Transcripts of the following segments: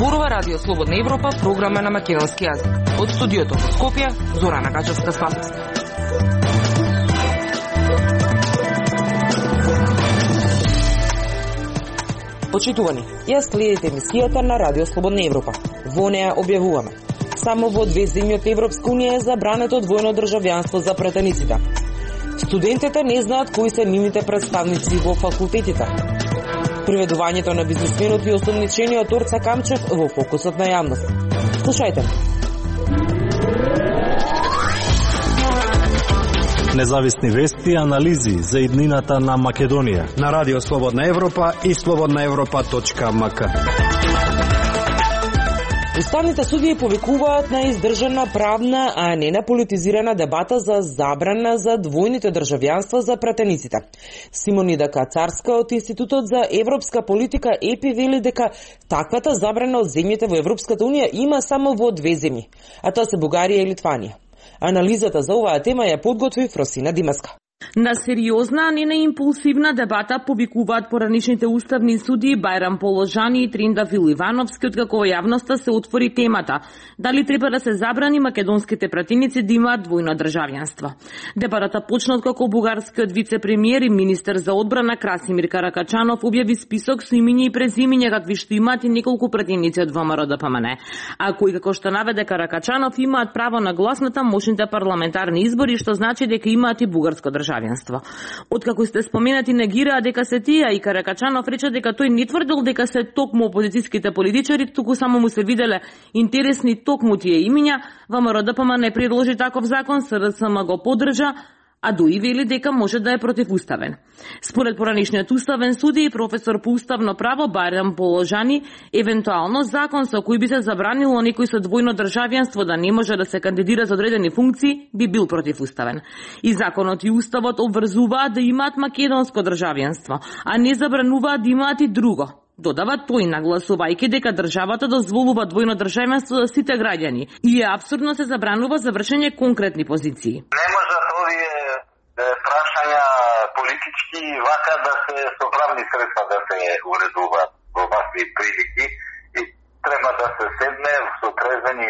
Зборува Радио Слободна Европа, програма на македонски јазик. Од студиото во Скопје, Зорана Гачевска-Спасовска. Почитувани, ја следите емисијата на Радио Слободна Европа. Во неја објавуваме: само во 2 земји од Европска унија е забрането двојно државјанство за пратениците. Студентите не знаат кои се нивните представници во факултетите. Приведувањето на бизнисменот и осомничениот Орца Камчев во фокусот на јавност. Слушајте. Независни вести и анализи за иднината на Македонија на Радио Слободна Европа и slobodnaevropa.mk. Уставните судии повикуваат на издржана правна, а не на политизирана дебата за забрана за двојните државјанства за пратениците. Симонида Кацарска од Институтот за европска политика ЕПИ вели дека таквата забрана од земјите во Европската унија има само во 2 земји, а тоа се Бугарија и Литванија. Анализата за оваа тема ја подготви Фросина Димаска. На сериозна, а не на импулсивна дебата повикуваат поранишните уставни судии Бајрам Положани и Триндафил Ивановски, откако во јавноста се отвори темата дали треба да се забрани македонските пратеници да имаат двојно државјанство. Дебатата почна откако бугарскиот вице-премиер и министер за одбрана Красимир Каракачанов објави список со имиња и презимиња какви што имаат и неколку пратеници од ВМРО-ДПМН, а кои, како што наведе Каракачанов, имаат право на глас на тамошните парламентарни избори, што значи дека имаат и бугарско државјанство. Откако сте споменати негираа дека се тие, и Каракачанов рече дека тој не тврдел дека се токму опозицијските политичари, туку само му се виделе интересни токму тие имиња, ВМРО-ДПМН не предложи таков закон, СДСМ го поддржа, а дуи вели дека може да е противуставен. Според поранишниот уставен суди и професор по уставно право Бајрам Положани, евентуално закон со кој би се забранило некој со двојно државјанство да не може да се кандидира за одредени функции би бил противуставен. И законот и уставот обврзуваат да имаат македонско државјанство, а не забрануваат да имаат и друго. Додава тој, нагласувајќи дека државата дозволува двојно државјанство за сите граѓани и е апсурдно се забранува за вршење конкретни позиции. Не може овие прашања политички вака да се со правни средства да се уредуваат во вакви прилики и треба да се седне со трезвени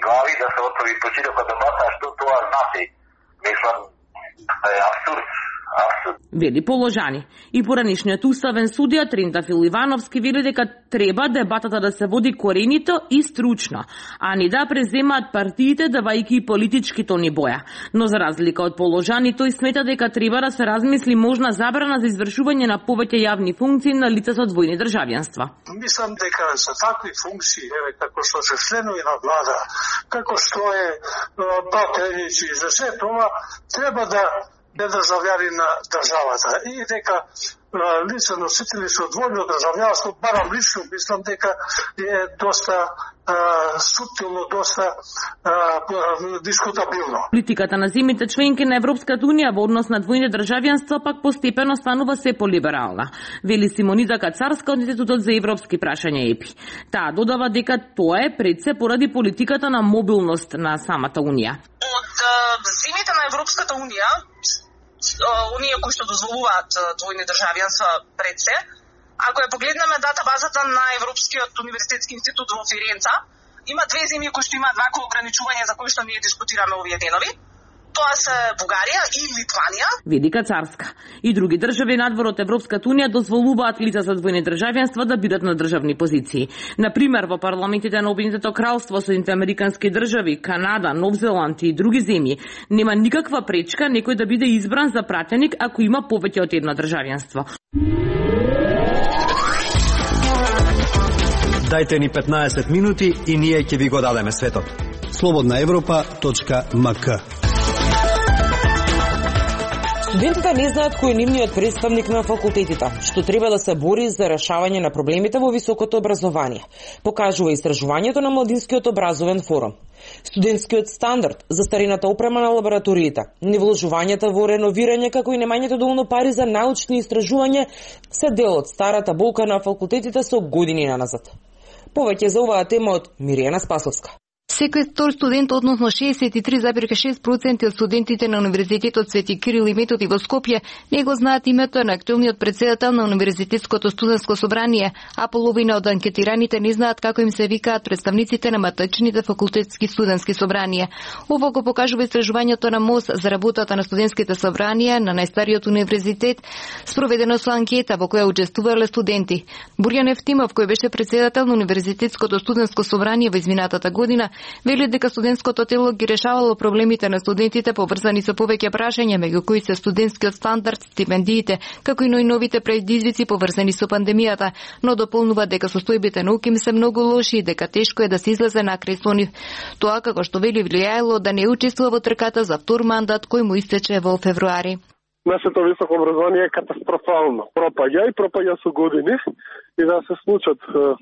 глави да се отвори почирока дебата, што тоа значи. Мислам, е абсурд. Вели Положани. И поранишниот уставен судија Триндафил Ивановски вели дека треба дебатата да се води коренито и стручно, а не да преземаат партиите давајќи политички тони боја. Но за разлика од Положани, тој смета дека треба да се размисли можна забрана за извршување на повеќе јавни функции на лица со двојни државјанства. Мислам дека за такви функции, како што се членови на влада, како што е пратеници, за се тоа треба да државјани на државата и дека лица носители со двојно државјанство, барам лично мислам дека е доста суптилно, доста дискутабилно. Политиката на земјите членки на Европската унија во однос на двојни државјанства пак постепено станува се полиберална, вели Симонида Кацарска од Институтот за европски прашања ЕПИ. Таа додава дека тоа е пред се поради политиката на мобилност на самата унија. Од земјите на Европската унија, оние кои што дозволуваат двојни државјанства пред се, ако ја погледнеме датабазата на Европскиот универзитетски институт во Фиренца, има 2 земји кои што имаат вакво ограничување за кои што ние дискутираме овие денови. Тоа се Бугарија и Литванија. Веди Кацарска. И други држави надвор од Европската унија дозволуваат лица со двојни државјанства да бидат на државни позиции. Например, во парламентите на Обединетото кралство, Соединените американски држави, Канада, Нов Зеланд и други земји нема никаква пречка некој да биде избран за пратеник ако има повеќе од едно државјанство. Дајте ни 15 минути и ние ќе ви го дадеме светот. slobodnaevropa.mk. Студентите не знаат кој е нивниот представник на факултетите, што треба да се бори за решавање на проблемите во високото образование, покажува истражувањето на Младинскиот образовен форум. Студентскиот стандард, застарената опрема на лабораториите, невложувањата во реновирање, како и немањето доволно пари за научни истражувања се дел од старата болка на факултетите со години наназад. Повеќе за оваа тема од Миријана Спасовска. Секој втор студент, односно 63,6% од студентите на Универзитетот Свети Кирил и Методи во Скопје не го знаат името на актуелниот председател на Универзитетското студентско собрание, а половина од анкетираните не знаат како им се викаат представниците на матичните факултетски студентски собранија. Ово го покажува истражувањето на МОС за работата на студентските собранија на најстариот универзитет, спроведено со анкета во која учествувале студенти. Бурјан Ефтимов, кој беше председател на Универзитетското студентско собрание во изминатата година, вели дека студентското тело ги решавало проблемите на студентите поврзани со повеќе прашања, меѓу кои се студентскиот стандард, стипендиите, како и новите предизвици поврзани со пандемијата, но дополнува дека состојбите на УКИМ се многу лоши и дека тешко е да се излезе накрај со нив. Тоа, како што вели, влијаело да не учествува во трката за втор мандат кој му истече во февруари. Нашето високо образование е катастрофално. Пропаѓа со години и да се случат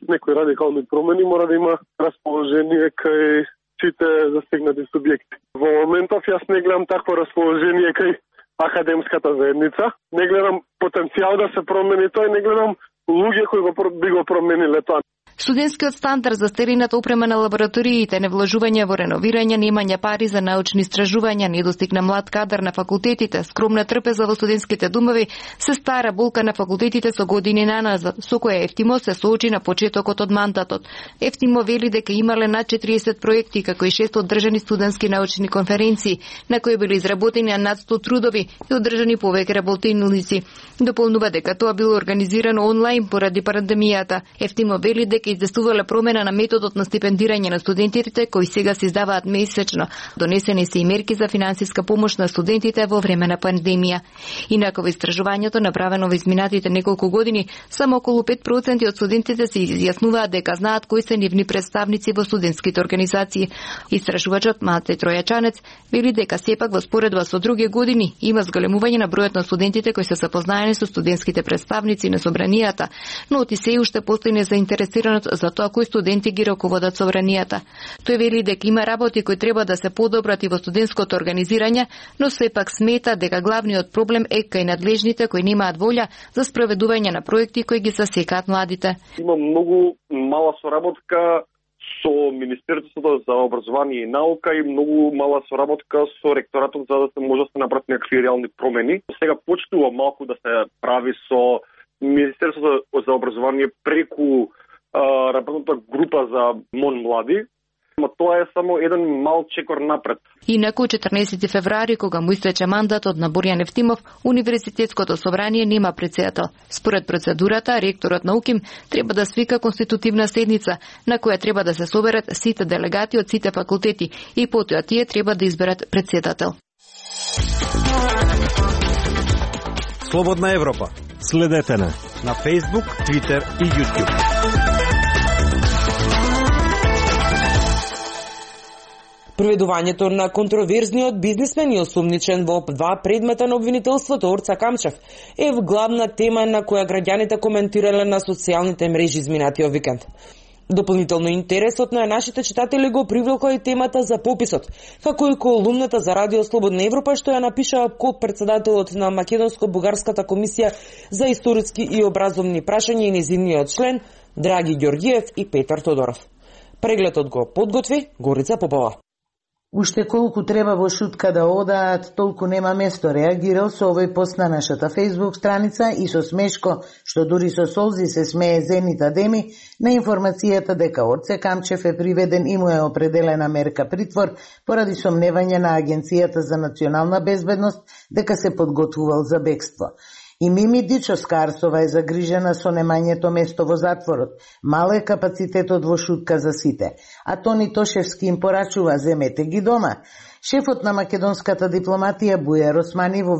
некои радикални промени, мора да има расположение кај сите застигнати субјекти. Во моментов јас не гледам такво расположение кај академската заедница, не гледам потенцијал да се промени тој, не гледам луѓе кои би го промениле тоа. Студентскиот стандард за стерината опрема на лабораториите, невложување во реновирање, немање пари за научни истражувања, недостиг на млад кадар на факултетите, скромна трпеза во студентските домови, се стара болка на факултетите со години наназад, со која Ефтимо се соочи на почетокот од мандатот. Ефтимо вели дека имале над 40 проекти, како и 6 одржани студентски научни конференции, на кои били изработени над 100 трудови и одржани повеќе работилници. Дополнува дека тоа било организирано онлайн поради пандемијата. Ефтимо вели дека издестувале промена на методот на стипендирање на студентите, кои сега се издаваат месечно. Донесени се и мерки за финансиска помош на студентите во време на пандемија. Инаку во истражувањето направено во изминатите неколку години, само околу 5% од студентите се изјаснуваат дека знаат кои се нивни представници во студентските организации. Истражувачот Мате Тројачанец вели дека сепак во споредба со други години има зголемување на бројот на студентите кои се запознаени со студентските представници на собранијата, но оти се уште постои незаинтересираност за тоа кои студенти ги раководат собранијата. Тој вели дека има работи кои треба да се подобрат и во студентското организирање, но сепак смета дека главниот проблем е кај надлежните кои немаат волја за спроведување на проекти кои ги засекаат младите. Има многу мала соработка со Министерството за образование и наука и многу мала соработка со ректоратот за да се може да се направат некакви реални промени. Сега почнува малку да се прави со Министерството за образование преку работната група за МОН млади, но тоа е само еден мал чекор напред. Инаку 14 февруари, кога му истече мандатот на Бурјан Ефтимов, Универзитетското собрание нема председател. Според процедурата, ректорот на УКИМ треба да свика конститутивна седница, на која треба да се соберат сите делегати од сите факултети и потоа тие треба да изберат председател. Слободна Европа. Следете на Facebook, Twitter и YouTube. Приведувањето на контроверзниот бизнисмен и осумничен во 2 предмета на обвинителството Орца Камчев е главна тема на која граѓаните коментирале на социјалните мрежи изминатиот викенд. Дополнително интересот на нашите читатели го привлекла и темата за пописот, како и колумната за Радио Слободна Европа што ја напиша председателот на Македонско-бугарската комисија за историски и образовни прашања и нејзиниот член Драги Ѓорѓиев и Петар Тодоров. Прегледот го подготви Горица Попова. Уште колку треба во шутка да одаат, толку нема место, реагирал со овој пост на нашата Facebook страница и со смешко, што дури со солзи се смее Зенита Деми, на информацијата дека Орце Камчев е приведен и му е определена мерка притвор поради сомневање на Агенцијата за национална безбедност дека се подготвувал за бегство. И Мими Дичо-Скарсова е загрижена со немањето место во затворот. Мал е капацитетот во шутка за сите. А Тони Тошевски им порачува, земете ги дома. Шефот на македонската дипломатија Бујар Османи во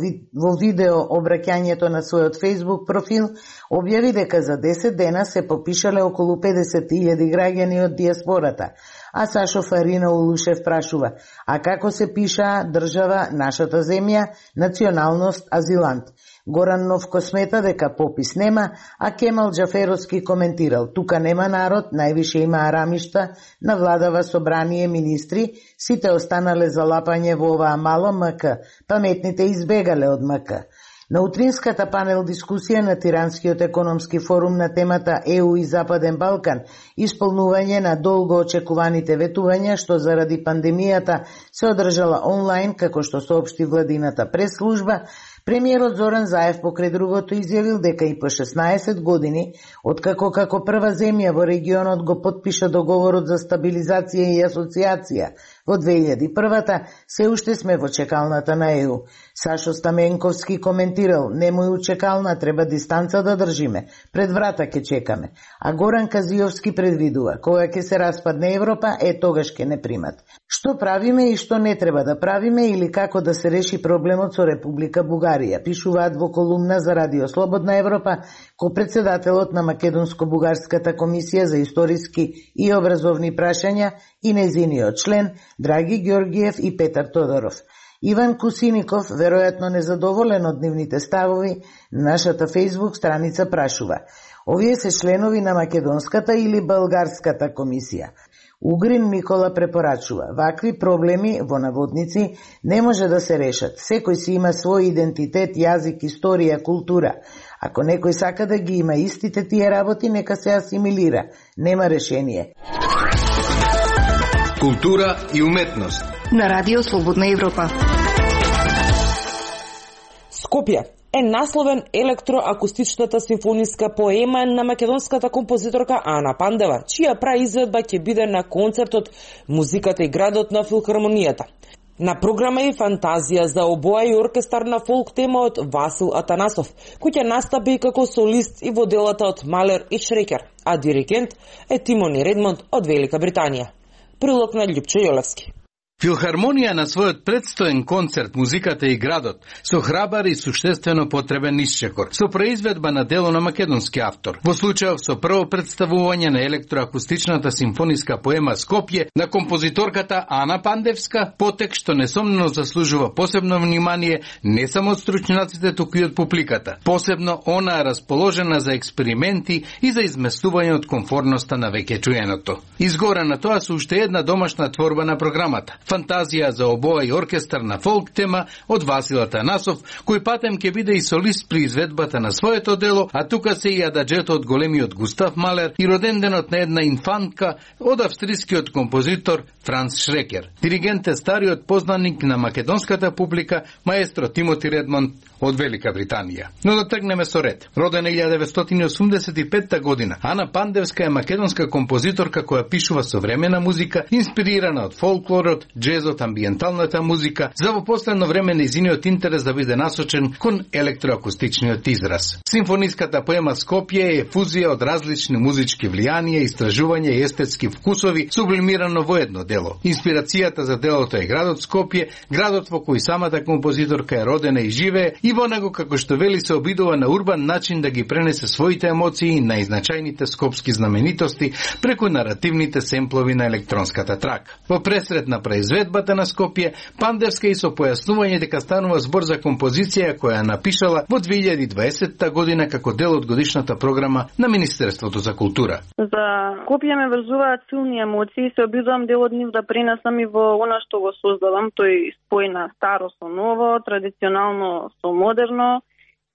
видео обраќањето на својот Facebook профил објави дека за 10 дена се попишале околу 50.000 граѓани од диаспората. А Сашо Фарина Улушев прашува, а како се пиша држава, нашата земја, националност, азилант? Горан Новко смета дека попис нема, а Кемал Џаферовски коментирал, тука нема народ, највише има арамишта, навладава собрание министри, сите останале за лапање во оваа мало МК, паметните избегале од МК. На утринската панел дискусија на Тиранскиот економски форум на темата ЕУ и Западен Балкан, исполнување на долго очекуваните ветувања што заради пандемијата се одржала онлайн, како што соопшти владината прес-служба, премиерот Зоран Заев покрај другото изјавил дека и по 16 години, откако како прва земја во регионот го потпиша договорот за стабилизација и асоциација во 2001-та, се уште сме во чекалната на ЕУ. Сашо Стаменковски коментирал: немој у чекална, треба дистанца да држиме, пред врата ќе чекаме. А Горан Казиовски предвидува: кога ќе се распадне Европа, тогаш ќе не примат. Што правиме и што не треба да правиме или како да се реши проблемот со Република Бугарија, пишуваат во колумна за Радио Слободна Европа ко-председателот на Македонско-бугарската комисија за историски и образовни прашања и незиниот член Драги Ѓоргиев и Петар Тодоров. Иван Кусиников, веројатно незадоволен од нивните ставови, на нашата Facebook страница прашува: овие се членови на Македонската или Българската комисија? Угрин Никола препорачува: вакви проблеми, во наводници, не може да се решат. Секој си има свој идентитет, јазик, историја, култура. Ако некој сака да ги има истите тие работи, нека се асимилира. Нема решение. Култура и уметност. На Радио Слободна Европа. Скопје е насловен електроакустичната симфониска поема на македонската композиторка Ана Пандева, чија праизведба ќе биде на концертот Музиката и градот на Филхармонијата. На програма е фантазија за обоја и оркестар на фолк тема од Васил Атанасов, кој ќе настапи како солист и во делата од Малер и Шрекер, а диригент е Тимони Редмонд од Велика Британија. Прилог на Љупчо Јолевски. Филхармонија на својот предстоен концерт Музиката и градот со храбар и суштествено потребен исчекор, со произведба на дело на македонски автор. Во случајов со прво представување на електроакустичната симфониска поема Скопје на композиторката Ана Пандевска, потек што несомнено заслужува посебно внимание не само од стручњаците, туку и од публиката. Посебно она е расположена за експерименти и за изместување од комфорноста на веќе чуеното. Изгора на тоа со уште една домашна творба на програмата. Фантазија за обоја и оркестар на фолк тема од Васил Атанасов, кој патем ќе биде и солист при изведбата на своето дело, а тука се и ададжето од големиот Густав Малер и роденденот на една инфантка од австрискиот композитор Франц Шрекер. Диригент е стариот познаник на македонската публика, маестро Тимоти Редмонд од Велика Британија. Но да тргнеме со ред. Родена 1985 година, Ана Пандевска е македонска композиторка која пишува современа музика, инспирирана од фолклорот, джезот, амбиенталната музика, за во последно време нејзиниот интерес да биде насочен кон електроакустичниот израз. Симфониската поема Скопје е фузија од различни музички влијанија, истражувања и естетски вкусови, сублимирано во едно дело. Инспирацијата за делото е градот Скопје, градот во кој самата композиторка е родена и живее, и во него, како што вели, се обидува на урбан начин да ги пренесе своите емоции на изначајните скопски знаменитости преку наративните семплови на електронската трака. Во пресред на произведбата на Скопје, Пандевска и со појаснување дека станува збор за композиција која напишала во 2020 година како дел од годишната програма на Министерството за култура. За Скопје ме врзуваат силни емоции, се обидувам дел од нив да пренесам и во она што го создавам, тој спој на старо со ново, традиционално со модерно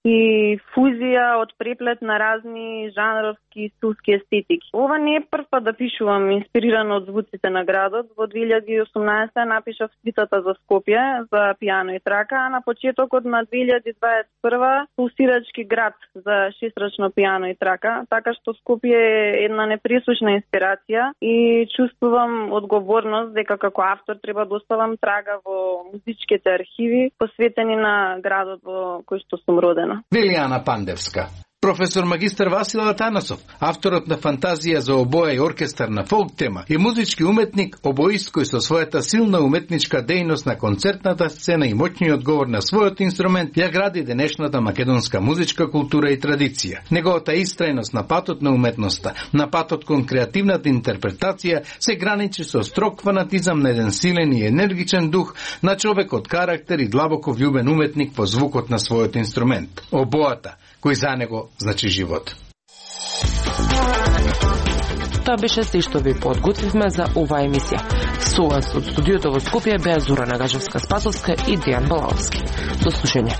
и фузија од преплет на разни жанровски и стилски естетики. Ова не е прв пат да пишувам инспирирано од звуците на градот. Во 2018 напишав свитата за Скопје, за пијано и трака, а на почетокот на 2021 пулсирачки град за шестрачно пијано и трака, така што Скопје е една непресушна инспирација и чувствувам одговорност дека како автор треба да оставам трага во музичките архиви посветени на градот во кој што сум родена. Велијана Пандевска. Професор магистар Васил Атанасов, авторот на фантазија за обоја и оркестар на фолк тема, е музички уметник, обоист кој со својата силна уметничка дејност на концертната сцена и моќниот говор на својот инструмент ја гради денешната македонска музичка култура и традиција. Неговата истрајност на патот на уметноста, на патот кон креативната интерпретација се граничи со строг фанатизам на еден силен и енергичен дух на човек од карактер и длабоко влюбен уметник во звукот на својот инструмент. Обоата, кој за него значи живот. Тоа беше се што ви подготвивме за оваа емисија. Со вас од студиото во Скопје беа Зора Нагажевска-Спасовска и Дијан Балаовски. До слушање.